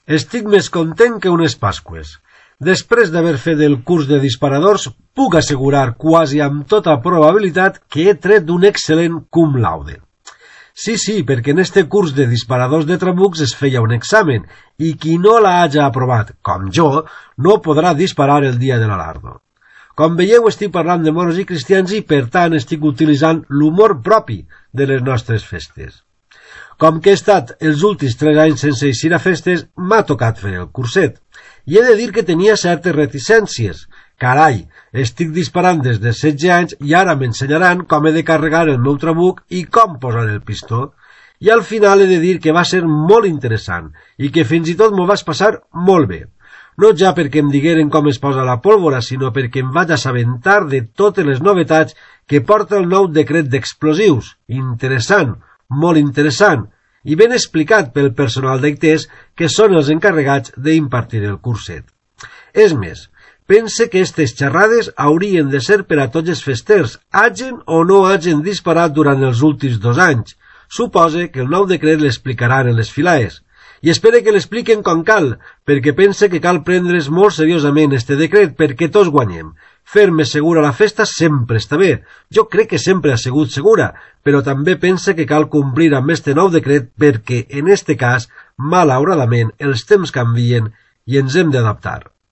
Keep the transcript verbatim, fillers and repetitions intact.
Estic més content que unes Pasqües. Després d'haver fet el curs de disparadors, puc assegurar quasi amb tota probabilitat que he tret un excel·lent cum laude. Sí, sí, perquè en este curs de disparadors de trabucs es feia un examen, i qui no la haja aprovat, com jo, no podrà disparar el dia de l'alardo. Com veieu, estic parlant de moros i cristians i, per tant, estic utilitzant l'humor propi de les nostres festes. Com que he estat els últims tres anys sense eixir a festes, m'ha tocat fer el curset. I he de dir que tenia certes reticències. Carai, estic disparant des de setze anys i ara m'ensenyaran com he de carregar el meu trabuc i com posar el pistó. I al final he de dir que va ser molt interessant i que fins i tot m'ho vaig passar molt bé. No ja perquè em digueren com es posa la pólvora, sinó perquè em vaig assabentar de totes les novetats que porta el nou decret d'explosius. Interessant, molt interessant, i ben explicat pel personal d'Aitès, que són els encarregats d'impartir el curset. És més, pense que aquestes xerrades haurien de ser per a tots els festers, hagen o no hagen disparat durant els últims dos anys. Supose que el nou decret l'explicaran en les filaes. I espere que l'expliquen com cal, perquè pense que cal prendre's molt seriosament este decret perquè tots guanyem. Fer-me segura la festa sempre està bé. Jo crec que sempre ha sigut segura, però també pense que cal complir amb este nou decret perquè, en este cas, malauradament, els temps canvien i ens hem d'adaptar.